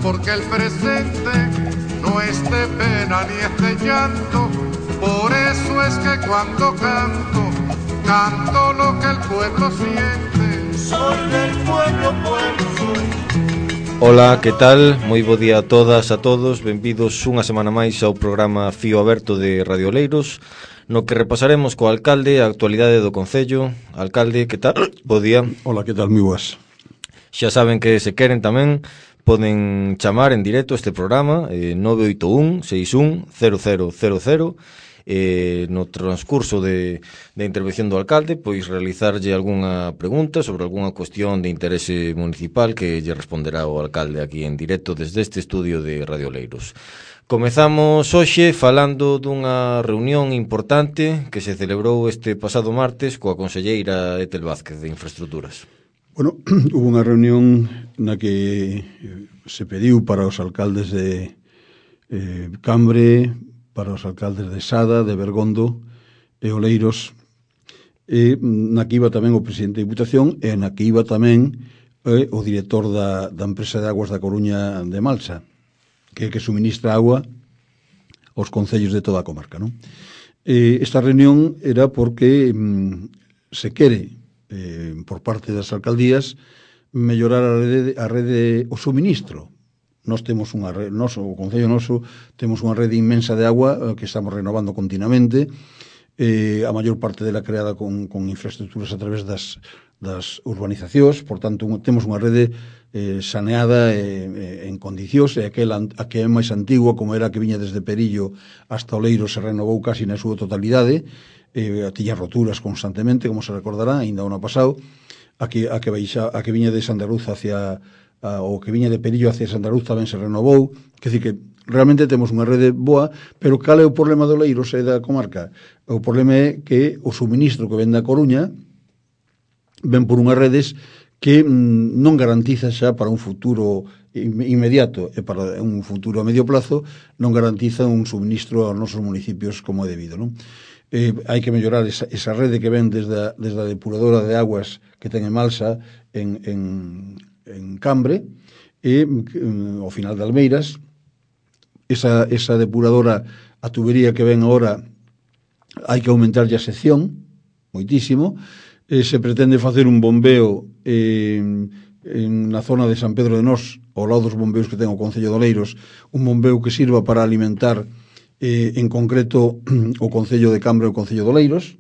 porque el presente no es de pena ni es de llanto. Por eso es que cuando canto, canto lo que el pueblo siente. Soy del pueblo, pueblo soy. Ola, que tal? Moi bo día a todas, a todos. Benvidos unha semana máis ao programa Fío Aberto de Radio Oleiros, no que repasaremos co alcalde a actualidade do Concello. Alcalde, que tal? Bo día. Ola, que tal? Moi boas. Xa saben que se queren tamén poden chamar en directo este programa 981 61 0000. No transcurso de intervención do alcalde, pois realizarlle algunha pregunta sobre algunha cuestión de interese municipal que lle responderá o alcalde aquí en directo desde este estudio de Radio Oleiros. Comezamos hoxe falando dunha reunión importante que se celebrou este pasado martes coa conselleira Etel Vázquez de Infraestructuras. Bueno, hubo unha reunión na que se pediu para os alcaldes de Cambre, para os alcaldes de Sada, de Bergondo e Oleiros, e na que iba tamén o presidente da Diputación e na que iba tamén o director da empresa de aguas da Coruña de Malsa, que suministra agua aos concellos de toda a comarca, non? Esta reunión era porque se quere, por parte das alcaldías, mellorar a rede o suministro. Nós temos unha rede, o Concello noso temos unha rede inmensa de agua que estamos renovando continuamente, a maior parte dela creada con infraestructuras a través das urbanizacións, por tanto temos unha rede saneada en condicións, e a que é máis antigua, como era a que viña desde Perillo hasta Oleiros, se renovou casi na súa totalidade, tiña roturas constantemente, como se recordará, ainda o ano pasado, a que viña de Sandaruz hacia o que viña de Perillo hacia Sandaruz tamén se renovou. Quer dizer que realmente temos unha rede boa, pero cal é o problema de Oleiros e da comarca? O problema é que o suministro que ven da Coruña ven por unhas redes que non garantiza xa para un futuro inmediato e para un futuro a medio plazo, non garantiza un suministro aos nosos municipios como é debido, non? Hai que mellorar esa rede que ven desde a depuradora de aguas que ten en Malsa en Cambre e ao final de Almeiras. Esa depuradora, a tubería que ven agora, hai que aumentar a sección moitísimo. Se pretende facer un bombeo na zona de San Pedro de Nós, ao lado dos bombeos que ten o Concello de Oleiros, un bombeo que sirva para alimentar en concreto o Concello de Cambre e o Concello de Oleiros,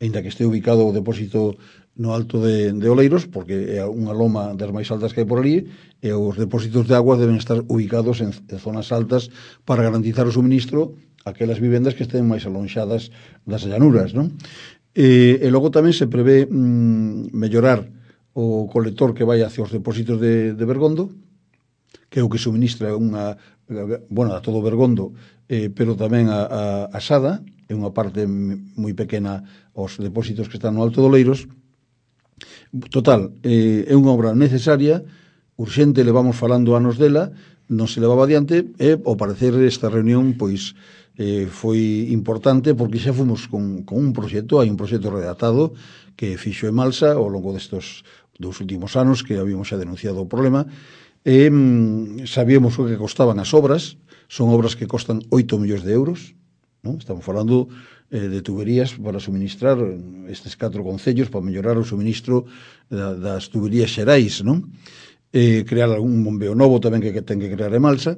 aínda que este ubicado o depósito no alto de Oleiros, porque é unha loma das máis altas que hai por ali, e os depósitos de agua deben estar ubicados en zonas altas para garantizar o suministro a aquelas vivendas que estén máis alonxadas das llanuras, non? E logo tamén se prevé mellorar o colector que vai hacia os depósitos de Bergondo, que é o que suministra a todo Bergondo, pero tamén a Sada, é unha parte moi pequena aos depósitos que están no Alto de Oleiros. Total, é unha obra necesaria, urxente, levamos falando anos dela, non se levaba adiante, e ao parecer esta reunión pois foi importante porque xa fomos con un proxecto, hai un proxecto redactado que fixo en Malsa ao longo destos dos últimos anos, que habíamos xa denunciado o problema, e sabíamos o que costaban as obras. Son obras que costan 8 millóns de euros, non? Estamos falando de tuberías para suministrar estes 4 concellos, para mellorar o suministro das tuberías xerais, non? Crear un bombeo novo tamén que ten que crear en Malsa,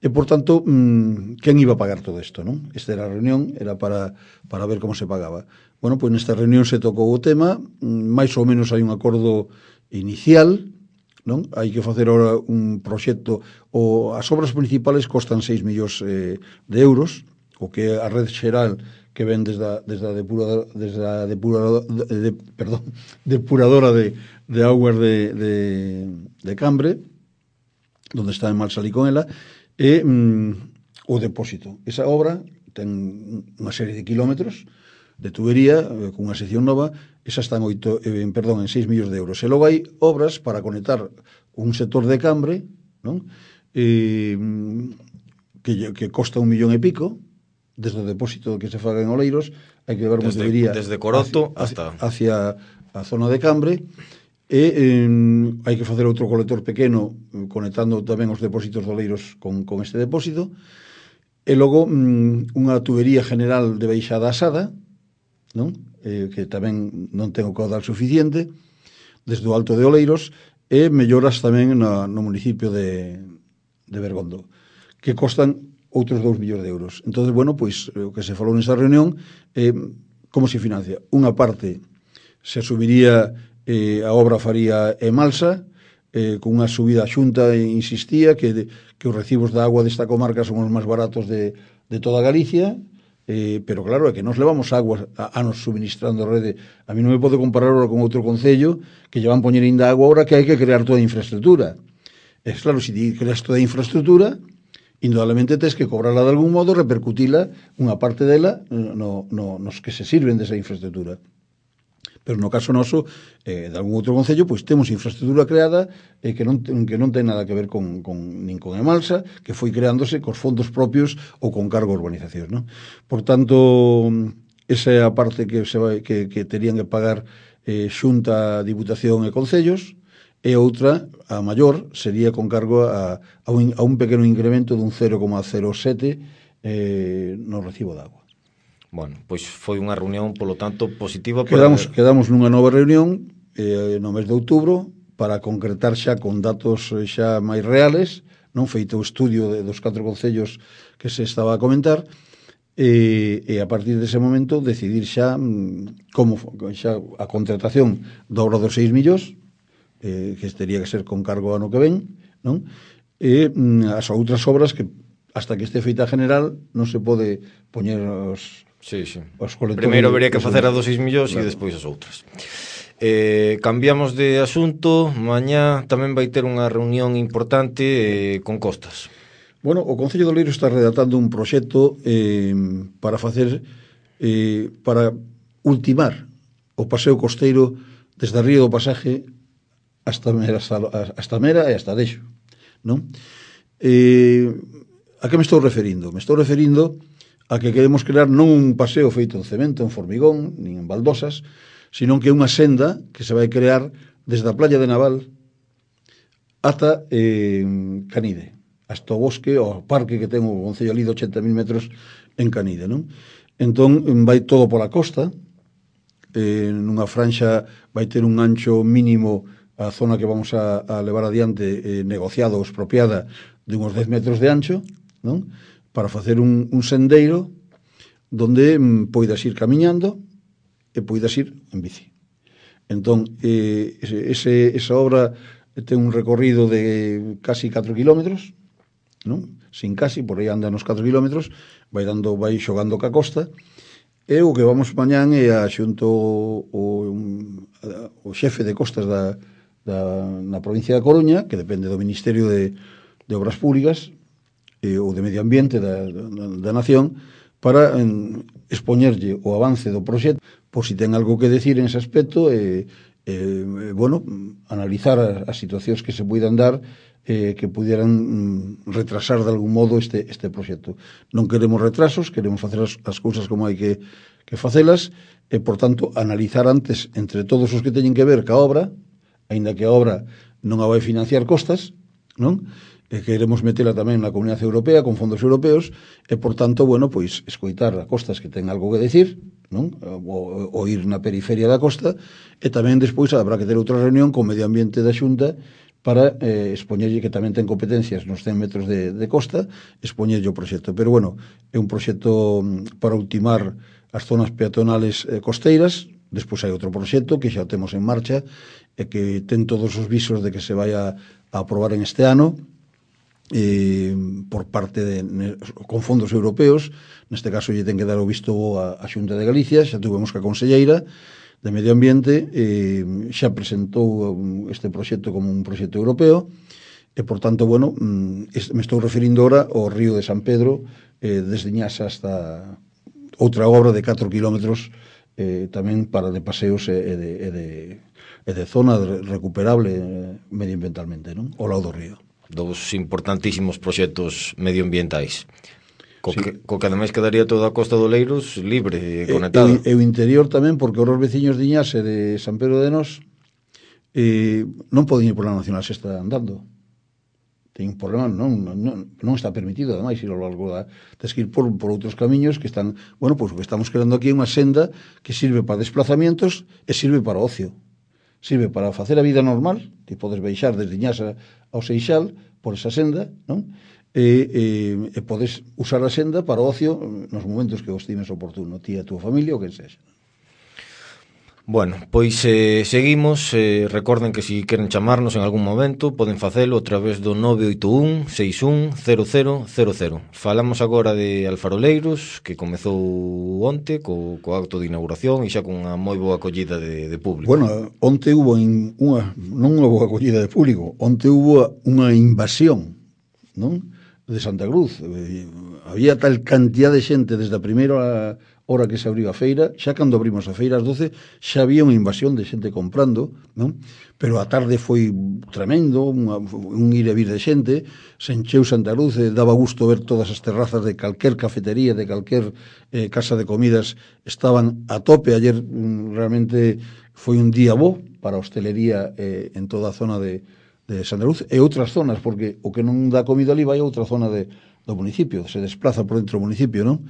e, por tanto, quen iba a pagar todo isto, non? Esta era a reunión, era para ver como se pagaba. Bueno, pois nesta reunión se tocou o tema, máis ou menos hai un acordo inicial, non? Hai que facer ahora un proxecto, as obras principales costan 6 millóns de euros, o que a red xeral que ven desde a depuradora de aguas de Cambre, onde está en Malsalí con ela, e o depósito. Esa obra ten unha serie de kilómetros de tubería con unha sección nova, esa está en 6 millóns de euros. E logo hai obras para conectar un sector de Cambre, non? Que costa 1 millón e pico, desde o depósito que se faga en Oleiros, hai que levar unha tubería desde Coroto hacia a zona de Cambre, hai que facer outro colector pequeno conectando tamén os depósitos de Oleiros con este depósito, e logo unha tubería general de baixada asada, non? Que tamén non ten o caudal suficiente desde o Alto de Oleiros, e melloras tamén no municipio de Bergondo, que costan outros 2 millóns de euros. Entón, bueno, pois o que se falou nesta reunión é como se financia. Unha parte se subiría, a obra faría Emalsa, con unha subida xunta, insistía que os recibos de agua desta comarca son os máis baratos de toda Galicia, pero claro, é que nos levamos agua anos suministrando a rede. A mí non me pode comparar ahora con outro concello que lle van poñer ainda agua ahora que hai que crear toda a infraestructura. É claro, se ti creas toda a infraestructura, indudablemente tens que cobrarla de algún modo, repercutila unha parte dela nos que se sirven desa infraestructura. Pero no caso noso, de algún outro concello, pois temos infraestructura creada que non ten nada que ver nin con Emalsa, que foi creándose cos fondos propios ou con cargo a urbanizacións, non? Por tanto, esa é a parte que terían que pagar Xunta, Diputación e Concellos, e outra, a maior, sería con cargo a un pequeno incremento dun 0,07 no recibo de agua. Bueno, pois foi unha reunión, polo tanto, positiva. Quedamos nunha nova reunión no mes de outubro para concretar xa con datos xa máis reales, non feito o estudio dos 4 concellos que se estaba a comentar, e a partir dese momento decidir xa como xa a contratación da obra dos 6 millóns, que teria que ser con cargo ano que ven, non? E as outras obras que hasta que este feita general non se pode poñer os colectores. Primeiro habería que facer a dos 6 millóns e despois as outras. Cambiamos de asunto. Mañá tamén vai ter unha reunión importante con Costas. Bueno, o Concello de Oleiros está redactando un proxecto para facer para ultimar o paseo costeiro desde a Río do Pasaje hasta Mera e hasta Dexo, non? A que me estou referindo? Me estou referindo a que queremos crear non un paseo feito en cemento, en formigón, nin en baldosas, sino que é unha senda que se vai crear desde a playa de Naval ata Canide, hasta o bosque, o parque que ten o concello ali de 80.000 metros en Canide, non? Entón, vai todo pola costa, nunha franxa vai ter un ancho mínimo a zona que vamos a levar adiante negociado ou expropiada de uns 10 metros de ancho, non? Para facer un sendeiro donde poidas ir camiñando e poidas ir en bici. Entón, esa obra ten un recorrido de casi 4 kilómetros, non? Sin casi, por aí anda nos 4 kilómetros, vai xogando ca costa, e o que vamos mañán é a xunto o xefe de costas na provincia da Coruña, que depende do Ministerio de Obras Públicas ou de Medio Ambiente da Nación, para expoñerlle o avance do proxecto, por si ten algo que decir en ese aspecto, bueno, analizar as situacións que se poidan dar que pudieran retrasar de algún modo este proxecto. Non queremos retrasos, queremos facer as cousas como hai que facelas, e, por tanto, analizar antes entre todos os que teñen que ver ca obra, aínda que a obra non a vai financiar Costas, non? E queremos metela tamén na Comunidade Europea con fondos europeos, e, por tanto, bueno, pois, escoitar a Costas que ten algo que decir, non? O ir na periferia da costa, e tamén despois habrá que ter outra reunión con Medio Ambiente da Xunta para expoñerlle, que tamén ten competencias nos 100 metros de costa, expoñerlle o proxecto. Pero, bueno, é un proxecto para ultimar as zonas peatonales costeiras. Despois hai outro proxecto que xa temos en marcha e que ten todos os visos de que se vai a aprobar en este ano, por parte con fondos europeos. Neste caso lle ten que dar o visto a Xunta de Galicia. Xa tuvemos que a conselleira de Medio Ambiente xa presentou este proxecto como un proxecto europeo, e, por tanto, bueno, me estou referindo ahora ao río de San Pedro, desde Ñasa hasta outra obra de 4 kilómetros, tamén para de paseos e de zona recuperable medioambientalmente, non? Ao lado do río. Dos importantísimos proxectos medioambientais. Co que ademais quedaría toda a costa do Oleiros libre e conectada. E o interior tamén, porque os veciños de Iñas e de San Pedro de Nós non poden ir pola Nacional Sexta andando. Ten un problema, non está permitido, ademais, ir ao largo da... Tens que ir por outros camiños que están... Bueno, pois o que estamos creando aquí é unha senda que sirve para desplazamientos e sirve para ocio. Sirve para facer a vida normal, que podes baixar desde Iñasa ao Seixal por esa senda, non? E podes usar a senda para ocio nos momentos que o estimes oportuno, ti e a túa familia ou que sexa. Bueno, pois seguimos, recorden que se queren chamarnos en algún momento poden facelo a través do 981 61 0000. Falamos agora de Alfaroleiros, que comezou onte co acto de inauguración e xa con unha moi boa acollida de público. Bueno, onte hubo non unha boa acollida de público, onte hubo unha invasión, non? De Santa Cruz. Había tal cantidad de xente desde a primeira hora que se abriu a feira, xa cando abrimos a feira ás 12, xa había unha invasión de xente comprando, non? Pero a tarde foi tremendo, un ir e vir de xente, se encheu Santa Cruz, daba gusto ver todas as terrazas de calquer cafetería, de calquer casa de comidas, estaban a tope. Ayer realmente foi un día bo para a hostelería en toda a zona de Santa Cruz e outras zonas, porque o que non dá comida ali vai a outra zona do municipio, se desplaza por dentro do municipio, non?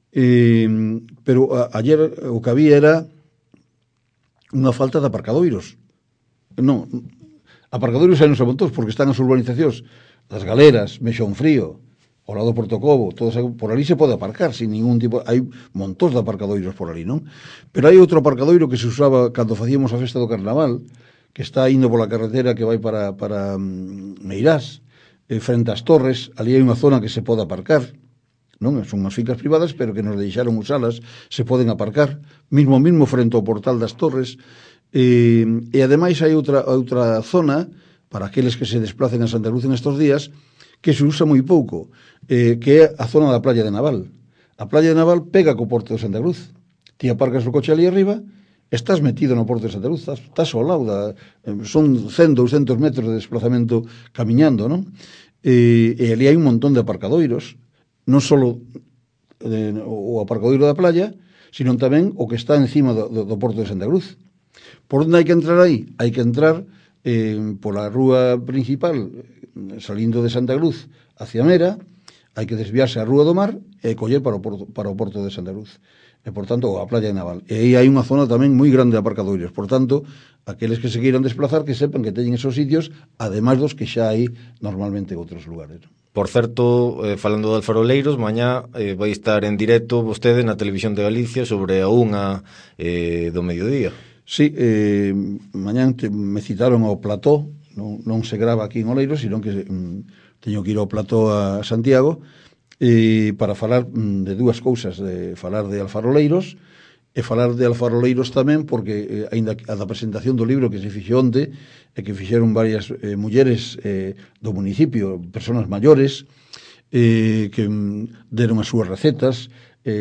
Pero ayer o que había era unha falta de aparcadoiros. Non, aparcadoiros hai nos amontós, porque están as urbanizacións das Galeras, Mexón Frío, ao lado do Portocobo, todos, por ali se pode aparcar sin ningún tipo, hai montós de aparcadoiros por ali, non? Pero hai outro aparcadoiro que se usaba cando facíamos a festa do Carnaval, que está indo pola carretera que vai para Meirás, frente ás Torres. Ali hai unha zona que se pode aparcar, non? Son unhas fincas privadas, pero que nos deixaron usalas, se poden aparcar, mismo frente ao portal das Torres, e ademais hai outra zona, para aqueles que se desplacen a Santa Cruz en estos días, que se usa moi pouco, que é a zona da Playa de Naval. A Playa de Naval pega co porto de Santa Cruz. Ti aparcas o coche ali arriba, estás metido no porto de Santa Cruz, estás ao lado son 100, 200 metros de desplazamento camiñando, non? E ali hai un montón de aparcadoiros, non só o aparcadoiro da playa, sino tamén o que está encima do porto de Santa Cruz. Por onde hai que entrar aí? Hai que entrar pola rúa principal, salindo de Santa Cruz hacia Mera, hai que desviarse a Rúa do Mar e coller para o porto de Santa Cruz. E, por tanto, a Playa de Naval. E aí hai unha zona tamén moi grande de aparcadoiros. Por tanto, aqueles que se queiran desplazar, que sepan que teñen esos sitios, ademais dos que xa hai normalmente en outros lugares. Por certo, falando de Alfaroleiros, mañá vai estar en directo vostede na Televisión de Galicia sobre a 1 do mediodía. Sí, mañá me citaron ao plató, non se grava aquí en Oleiros, sino que teño que ir ao plató a Santiago, para falar de dúas cousas, de falar de Alfaroleiros e falar de Alfaroleiros tamén, porque aínda a da presentación do libro que se fixo onte e que fixeron varias mulleres do municipio, personas maiores, que deron as súas recetas,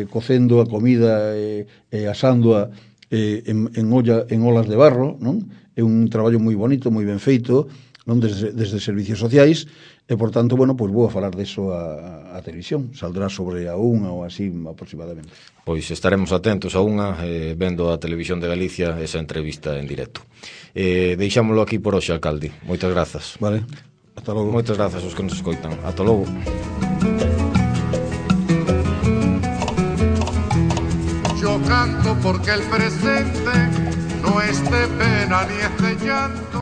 cocendo a comida e asándoa en olas de barro, non? É un traballo moi bonito, moi ben feito, non? Desde servicios sociais. E, por tanto, bueno, pois vou a falar deso a televisión. Saldrá sobre a 1 ou así aproximadamente. Pois estaremos atentos a 1 vendo a Televisión de Galicia esa entrevista en directo. Deixámoslo aquí por hoxe, alcalde. Moitas grazas. Vale, ata logo. Moitas grazas aos que nos escoitan. Ata logo. Yo canto porque el presente no es de pena ni es de llanto.